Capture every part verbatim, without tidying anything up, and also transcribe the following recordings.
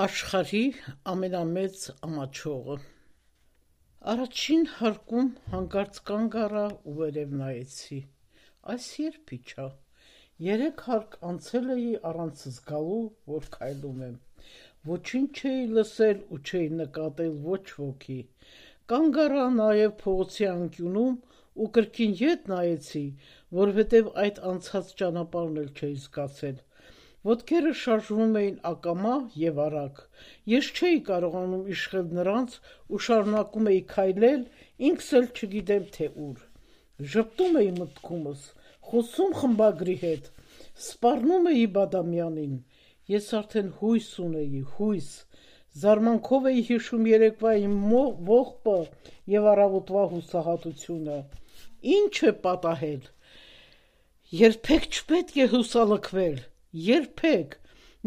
Աշխարհի ամենամեծ ամաչողը։ Առաջին հարկում հանկարծ կանգ առա ու վերև նայեցի։ Այս երբ իջա։ Երեք հարկ անցել էի առանց զգալու, որ քայլում եմ։ Ոչինչ չէի լսել ու չէի նկատել ոչ ոքի։ Կանգ առա նաև փողոցի անկյունում ու կրկին ետ նայեցի, որովհետև այդ անցած ճանապարհն էլ չէի զգացել։ Ոտքերս շարժվում էին ակամա և արագ։ Ես չէի կարողանում իշխել նրանց ու շարունակում էի քայլել, ինքս էլ չգիտեմ թե ուր։ Ժպտում էի մտքումս, խոսում խմբագրի հետ, սպառնում էի Բադամյանին։ Ես արդեն հույս ունեի, հույս։ Զարմանքով էի հիշում երեկվա իմ ողբը և առավոտվա հուսահատությունը։ Ինչ է պատահել։ Երբեք չպետք է հուսալքվել, երբեք,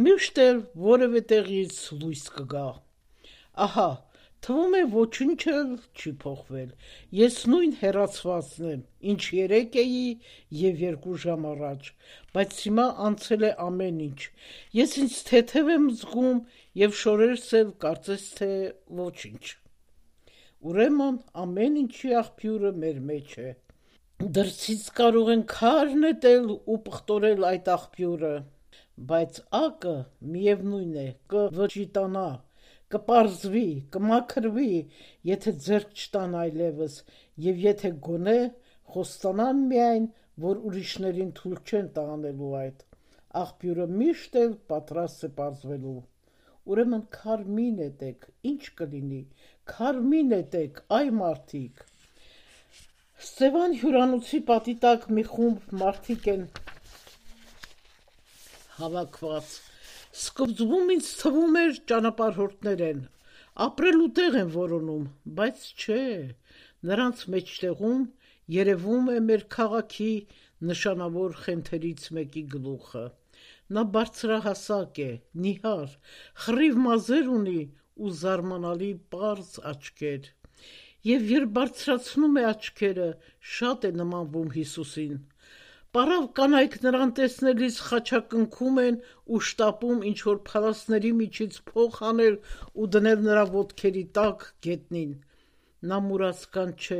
միշտ էլ որևէ տեղից լույս կգա։ Ահա, թվում է ոչինչ էլ չի փոխվել։ Ես նույն հեռացվածն եմ, ինչ երեկ էի և երկու ժամ առաջ, բայց հիմա անցել է ամեն ինչ։ Ես ինձ թեթև եմ զգում և շորերս էլ կարծես թե ոչինչ։ Ուրեմն ամեն ինչի աղբյուրը մեր մեջ է։ Դրսից կարող են քար նետել ու պղտորել այդ աղբյուրը, բայց ակը միևնույն է, կվճիտանա, կպարզվի, կմաքրվի, եթե ձեռք չտան այլևս, և եթե գոնե խոստանան միայն, որ ուրիշներին թույլ չեն տա անելու այդ, աղբյուրը միշտ էլ պատրաստ է պարզվելու։ Ուրեմն քար մի նետեք, ինչ կլինի, քար մի նետեք, այ մարդիկ։ Սևան հյուրանոցի պատի տակ մի խումբ մարդիկ են հավաքված։ Սկզբում ինձ թվում էր ճանապարհորդներ են, ապրելու տեղ են որոնում, բայց չէ, նրանց մեջտեղում երևում է մեր քաղաքի նշանավոր խենթերից մեկի գլուխը։ Նա բարձրահասակ է, նիհար, խռիվ մազեր ունի ու զարմանալի պարզ աչքեր։ Եվ երբ բարձրացնում է աչքերը, շատ է նմանվում Հիսուսին։ Պառավ կանայք նրան տեսնելիս խաչակնքում են ու շտապում ինչ-որ փալասների միջից փող հանել ու դնել նրա ոտքերի տակ գետնին։ Նա մուրացկան չէ,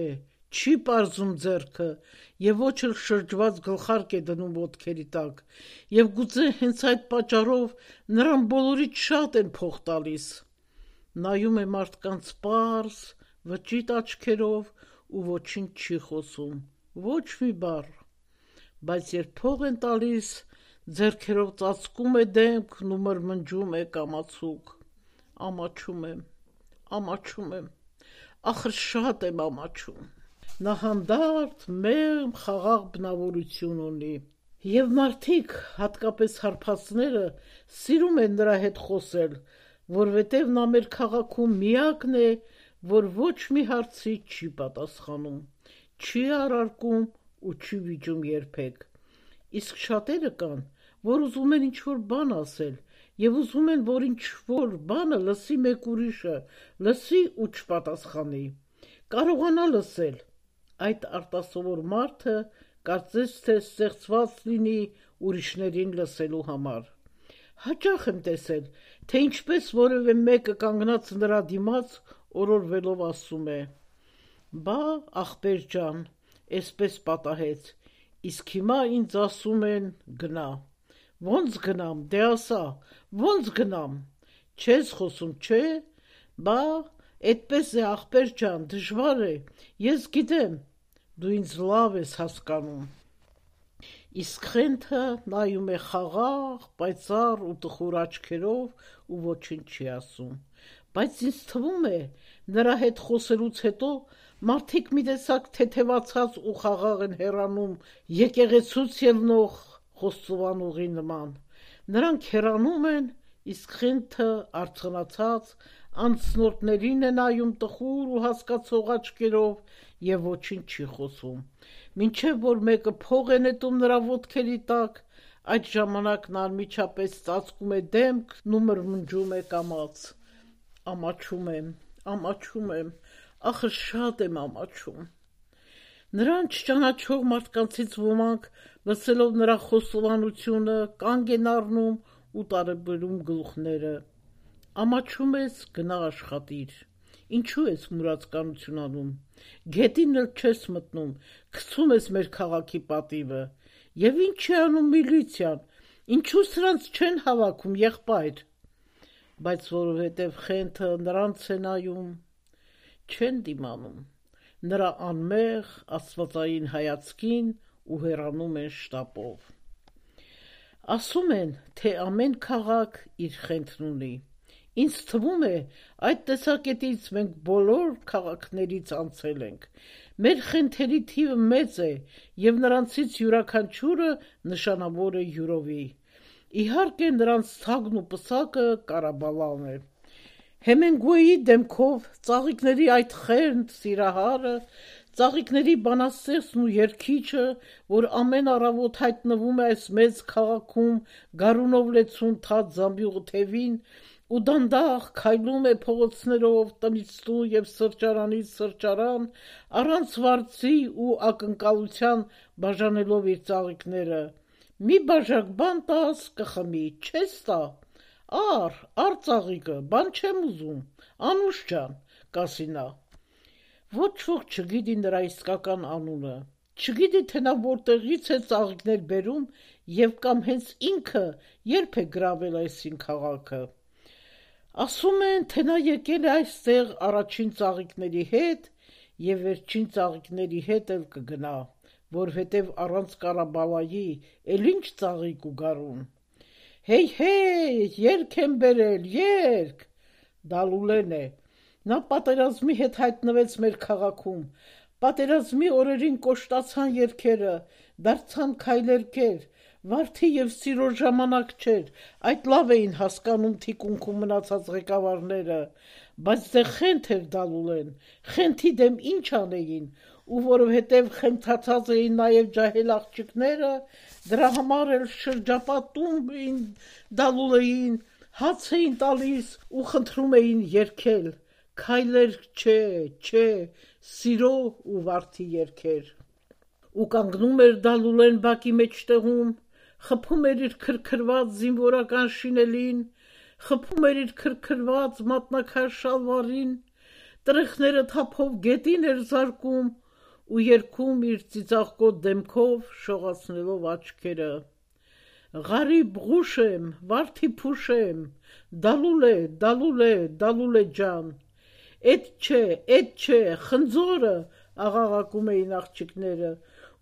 չի պարզում ձեռքը և ոչ էլ շրջված գլխարկ է դնում ոտքերի տակ, և գուցե հենց այդ պատճառով նրան բոլորից շատ են փող տալիս։ Նայում է մարդկանց պարզ, վճիտ աչքերով ու ոչինչ չի խոսում, ոչ մի բառ, բայց երբ փող են տալիս, ձեռքերով ծածկում է դեմքն ու մրմնջում է կամացուկ. ամաչում եմ, ամաչում եմ, ախր շատ եմ ամաչում։ Նա հանդարտ, մեղմ, խաղաղ բնավորություն ունի։ Եվ մարդիկ, հատկապես հարբածները, սիրում են նրա հետ խոսել, որովհետև նա մեր քաղաքում միակն է, որ ոչ մի հարցի չի պատասխանում, չի առարկում ու չի վիճում երբեք։ Իսկ շատերը կան, որ ուզում են ինչ-որ բան ասել, և ուզում են, որ ինչ-որ բանը լսի մեկ ուրիշը, լսի ու չպատասխանի, կարողանա լսել։ Այդ արտասովոր մարդը կարծես թե ստեղծված լինի ուրիշներին լսելու համար։ Հաճախ եմ տեսել, թե ինչպես որևէ մեկը կանգնած նրա դիմաց օրորվելով ասում է. «Բա, ախպեր ջան, էսպես պատահեց, իսկ հիմա ինձ ասում են գնա»։ Ոնց գնամ, դե ասա, ոնց գնամ, չես խոսում, չէ՞։ Բա, էդպես է, ախպեր ջան, դժվար է, ես գիտեմ, դու ինձ լավ ես հասկանում։ Իսկ խենթը նայում է խաղաղ, պայծառ ու տխուր աչքերով ու ոչինչ չի ասում։ Բայց ինձ թվում է, նրա հետ խոսելուց հետո մարդիկ մի տեսակ թեթևացած ու խաղաղ են հեռանում եկեղեցուց ելնող խոստովանողի նման։ Նրանք հեռանում են, իսկ խենթը արցնացած անցնորդներին է նայում տխուր ու հասկացող աչքերով և ոչինչ չի խոսում, մինչև որ մեկը փող է նետում նրա ոտքերի տակ, այդ ժամանակ նա անմիջապես ծածկում է դեմքն ու մրմնջում է կամաց. ամաչում եմ, ամաչում եմ, ախր շատ եմ ամաչում։ Նրան չճանաչող մարդկանցից ոմանք, լսելով նրա խոստովանությունը, կանգ են առնում ու տարբերում գլուխները։ Ամաչում ես, գնա աշխատիր, ինչու ես մուրացկանություն անում, գետին էլ չես մտնում, գցում ես մեր քաղաքի պատիվը, և ինչ է անում միլիցիան, ինչու սրանց չեն հավաքում եղբայր, բայց որովհետև խենթը նրանց է նայում, չեն դիմանում, նրա անմեղ աստվածային հայացքին ու հեռանում են շտապով։ Ասում են, թե ամեն քաղաք իր խենթն ունի, ինձ թվում է, այդ տեսակետից մենք բոլոր քաղաքներից անցել ենք, մեր խենթերի թիվը մեծ է և նրանցից յուրաքանչյուրը նշանավոր է յուրովի, իհարկե նրանց թագն ու պսակը Կարաբալան է։ Հեմենգուեյի դեմքով ծաղիկների այդ խենթ սիրահարը, ծաղիկների բանաստեղծն ու երգիչը, որ ամեն առավոտ հայտնվում է այս մեծ քաղաքում գարունով լեցուն թաց զամբյուղ թևին ու դանդաղ քայլում է փողոցներով տնից տուն և սրճարանից սրճարան, առանց վարձի ու ակնկալության բաժանելով իր ծաղիկները, մի բաժակ բան տաս կխմի, չես տա, Ար, ար ծաղիկը, բան չեմ ուզում, Անուշ ջան, կասի նա։ Ոչ ոք չգիտի նրա իսկական անունը, չգիտի, թե նա որտեղից է ծաղիկներ բերում և կամ հենց ինքը երբ է գրավել այսին քաղաքը։ Ասում են, թե նա եկել է այստեղ առաջին ծաղիկների հետ և վերջին ծաղիկների հետ էլ կգնա, որովհետև առանց Կարաբալայի էլ ինչ ծաղիկ ու գարուն։ Հեյ, հեյ, երգ եմ բերել, երգ, Դալուլեն է, նա պատերազմի հետ հայտնվեց մեր քաղաքում, պատերազմի օրերին կոշտացան երգերը, դարձան քայլերգեր, վարդի և սիրո ժամանակ չէր, այդ լավ էին հասկանում թիկունքում մնացած ղեկավարները, բայց դե խենթ էր Դալուլեն, խենթի դեմ ինչ անեին, ու որովհետև խենթացած էին նաև ջահել աղջիկները, դրա համար էլ շրջապատում էին Դալուլեին, հաց էին տալիս ու խնդրում էին երգել, քայլերգ չէ, չէ, սիրո ու վարդի երգեր։ Ու կանգնում էր Դալուլեն բակի մեջտեղում, խփում էր իր քրքրված զինվորական շինելին, խփում էր իր քրքրված մատնակաշ շալվարին, տրեխները թափով գետին էր զարկում ու երգում իր ծիծաղկոտ դեմքով շողացնելով աչքերը. Ղարիբ ղուշեմ, վարդի փուշեմ, Դալուլե, Դալուլե, Դալուլե ջան, Էդ չէ, էդ չէ, խնձորը, աղաղակում էին աղջիկները,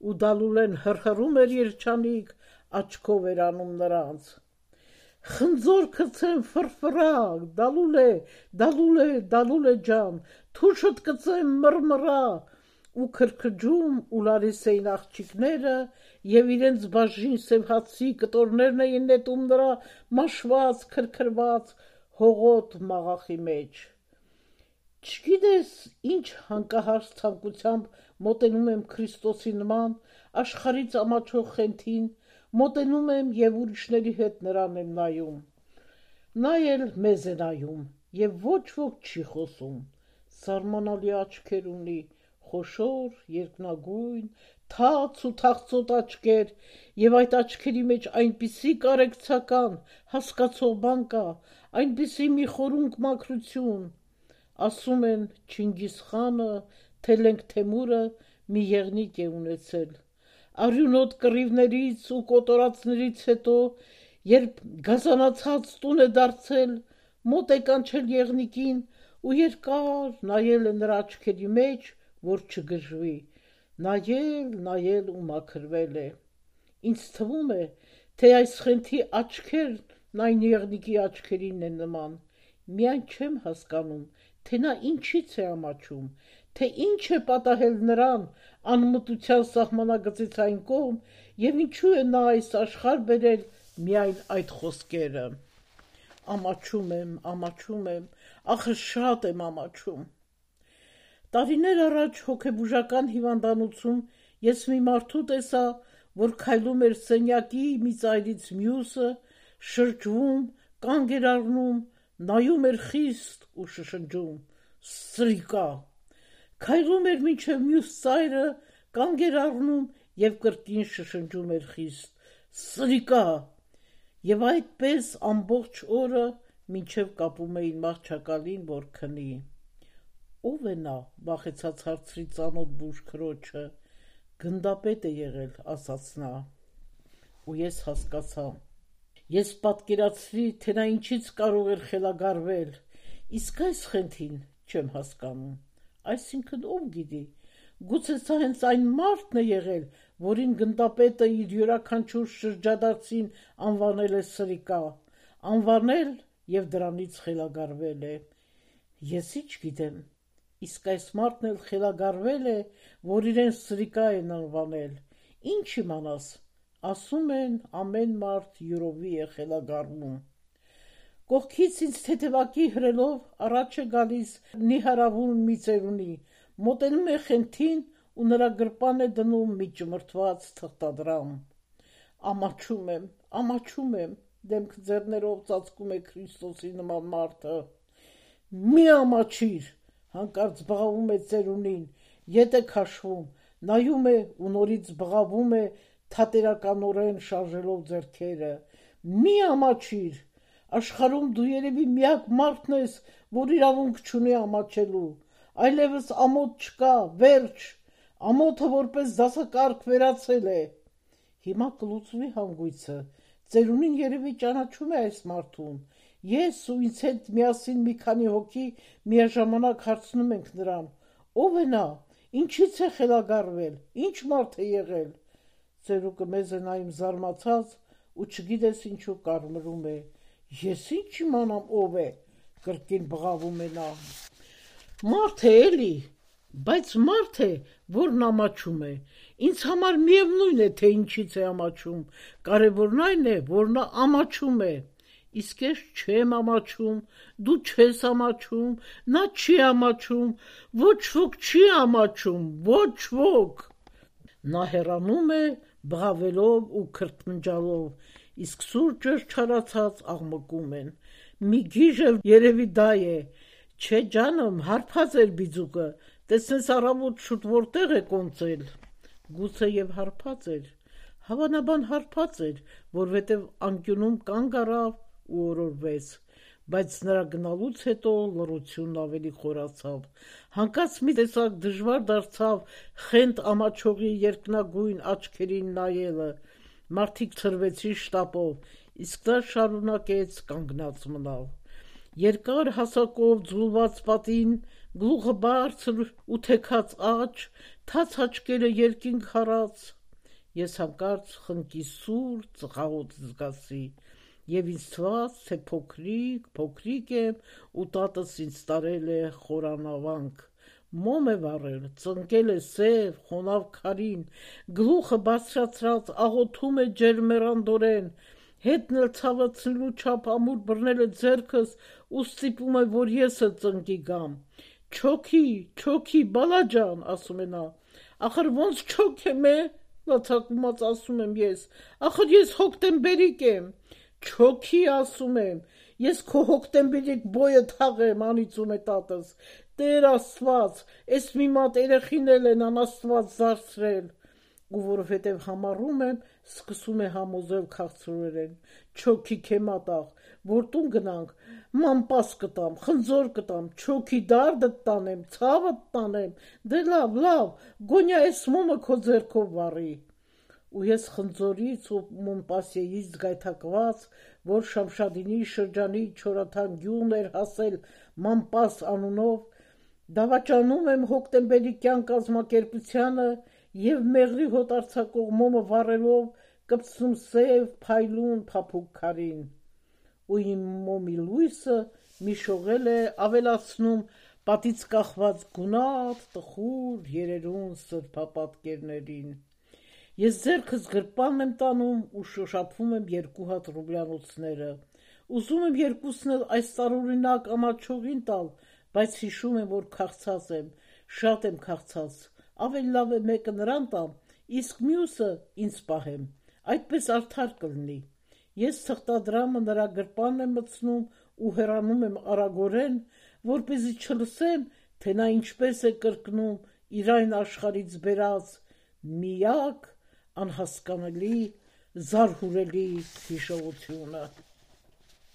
ու Դալուլեն հռհռում էր երջանիկ, աչքով էր անում նրանց։ Խնձոր կծեմ ֆրֆռա, Դալուլե, Դալուլե, Դալուլե ջան, թուշդ կծեմ մռմռա, ու քրքջում ու լալիս էին աղջիկները և իրենց բաժին սև հացի կտորներն էին նետում նրա մաշված, քրքրված, հողոտ մաղախի մեջ։ Չգիտես ինչ հանկահարց ցանկությամբ մոտենում եմ Քրիստոսի նման աշխարհից ամաչող խենթին, մոտենում եմ և ուրիշների հետ նրան եմ նայում։ Նա էլ մեզ է նայում և ոչ ոք չի խոսում, սարմանալի աչքեր ունի, խոշոր, երկնագույն, թաց ու թախծոտ աչքեր, և այդ աչքերի մեջ այնպիսի կարեկցական, հասկացող բան կա, այնպիսի մի խորունկ մաքրություն, ասում են Չինգիզ խանը, Թելենք Թեմուրը մի եղնիկ է ունեցել, արյունոտ կռիվներից ու կոտորածներից հետո, երբ գազանացած տուն է դարձել, մոտ է կանչել եղնիկին ու երկար նայել է նրա աչքերի մեջ, որ չգժվի, նայել, նայել ու մաքրվել է։ Ինձ թվում է, թե այս խենթի աչքերն այն եղնիկի աչքերին են նման, միայն չեմ հասկանում, թե նա ինչից է ամաչում, թե ինչ է պատահել նրան անմտության սահմանագծից այն կողմ և ինչու է նա այս աշխարհ բերել միայն այդ խոսքերը։ Ամաչում եմ, ամաչում եմ, ախր շատ եմ ամաչում։ Տարիներ առաջ հոգեբուժական հիվանդանոցում ես մի մարդու տեսա, որ քայլում էր սենյակի մի ծայրից մյուսը, շրջվում, կանգ էր առնում, նայում էր խիստ ու շշնջում. Սրիկա։ Քայլում էր մինչև մյուս ծայրը, կանգ էր առնում և կրկին շշնջում էր խիստ. Սրիկա։ Եվ այդպես ամբողջ օրը մինչև կապում էին մահճակալին, որ քնի։ Ո՞վ է նա, վախեցած հարցրի ծանոթ բուժ քրոջը։ Գնդապետ է եղել, ասաց նա։ Ու ես հասկացա։ Ես պատկերացրի, թե նա ինչից կարող էր խելագարվել, իսկ այս խնդին չեմ հասկանում։ Այսինքն ով գիտի, գուցե սա հենց այն մարդն է եղել, որին գնդապետը իր յուրաքանչյուր շրջադարձին անվանել է սրիկա, անվանել և դրանից խելագարվել է։ Ես ինչ գիտեմ, իսկ այս մարդն էլ խելագարվել է, որ իրեն սրիկա են անվանել։ Ինչ իմանաս, ասում են, ամեն մարդ յուրովի է խելագարվում։ Կողքից ինձ թեթևակի հրելով առաջ է գալիս նիհարավուն մի ծերունի, մոտենում է խենթին ու նրա գրպան է դնում մի ճմրթված թղթադրամ։ Ամաչում եմ, ամաչում եմ, դեմք ձեռներով ծածկում է Քրիստոսի նման մարդը։ Մի ամաչիր, հանկարծ բղավում է ծերունին, ետ է քաշվում, նայում է ու նորից բղավում է թատերականորեն շարժելով ձեռքերը։ Մի ամաչիր, աշխարհում դու երևի միակ մարդն ես, որ իրավունք չունի ամաչելու, այլևս ամոթ չկա, վերջ, ամոթը որպես դասակարգ վերացել է։ Հիմա կլուծվի հանգույցը, ծերունին երևի ճանաչում է այս մարդուն։ Ես ու ինձ հետ միասին մի քանի հոգի միաժամանակ հարցնում ենք նրան. ով է նա, ինչից է խելագարվել, ինչ մարդ է եղել։ Ծերուկը մեզ է նայում զարմացած ու չգիտես ինչու կարմրում է։ Ես ինչ իմանամ ով է, կրկին բղավում է նա։ Մարդ է էլի, բայց մարդ է, որն ամաչում է։ Ինձ համար միևնույն է, թե ինչից է ամաչում, կարևորն այն է, որ նա ամաչում է։ Իսկ ես չեմ ամաչում, դու չես ամաչում, նա չի ամաչում, ոչ ոք չի ամաչում, ոչ ոք։ Նա հեռանում է, բղավելով ու քրթմնջալով, իսկ սուրճը չարացած աղմկում են։ Մի գիժ էլ երևի դա է։ Չէ ջանım, հարբած էր բիձուկը, տեսնես առավոտ շուտ որտեղ է կոնծել։ Գուցե և հարբած էր, հավանաբան հարբած էր, որովհետև անկյունում կանգ առավ ու օրորվեց, բայց նրա գնալուց հետո լռությունն ավելի խորացավ։ Հանկարծ մի տեսակ դժվար դարձավ խենթ ամաչողի երկնագույն աչքերին նայելը։ Մարդիկ ցրվեցին շտապով, իսկ նա շարունակեց կանգնած մնալ։ Երկար հասակով ձուլված պատին, գլուխը բարձր ու թեքած աջ, թաց աչքերը երկինք հառած։ Ես հանկարծ խնկի սուր ծխախոտ զգացի, և ինձ թվաց, թե փոքրիկ, փոքրիկ եմ ու տատս ինձ տարել է խորանավանք։ Մոմ է վառել, ծնկել է սև, խոնավ քարին, գլուխը բարձրացրած աղոթում է ջերմեռանդորեն, հետն էլ ցավացնելու չափ ամուր բռնել է ձեռքս ու ստիպում է, որ ես էլ ծնկի գամ։ Չոքի, չոքի, բալաջան, ասում է նա։ Ախր ոնց չոքեմ է, լացակումած ասում եմ ես, ախր ես հոկտեմբերիկ եմ։ Չոքի, ասում եմ, ես քո հոկտեմբերիկ բոյը թաղեմ, անիծում է տատս։ Տեր Աստված, էս մի մատ երեխին էլ են անաստված դարձրել։ Ու որովհետև համառում եմ, սկսում է համոզել քաղցրորեն։ Չոքի քե մատաղ, որ տուն գնանք, մամպաս կտամ, խնձոր կտամ, չոքի դարդդ տանեմ, ցավդ տանեմ, դե լավ, լավ, գոնյա էս մոմը քո ձեռքով վառի։ Ու ես խնձորից ու մոմպասեից գայթակված, որ Շամշադինի շրջանի չորաթան գյուղն էր հասել մամպաս անունով, դավաճանում եմ հոկտեմբերիկյան կազմակերպությանը և մեղրի հոտ արձակող մոմը վառելով կպցնում սև, փայլուն, փափուկ քարին։ Ու իմ մոմի լույսը մի շողել է ավելացնում պատից կախված գունատ, տխուր, երերուն սրբապատկերներին։ Ես ձեռքս գրպանն եմ տանում ու շոշափում եմ երկու հատ ռուբլյանոցները։ Ուզում եմ երկուսն էլ այս տարօրինակ ամաչողին տալ, բայց հիշում եմ, որ քաղցած եմ, շատ եմ քաղցած, ավելի լավ է մեկը նրան տամ, իսկ մյուսը ինձ պահեմ, այդպես արդար կլինի։ Ես թղթադրամը նրա գրպանն եմ մտցնում ու հեռանում եմ արագորեն, որպեսզի չլսեմ, թե նա ինչպես է կրկնում իր այն աշխարհից բերած միակ անհասկանալի, զարհուրելի հիշողությունը։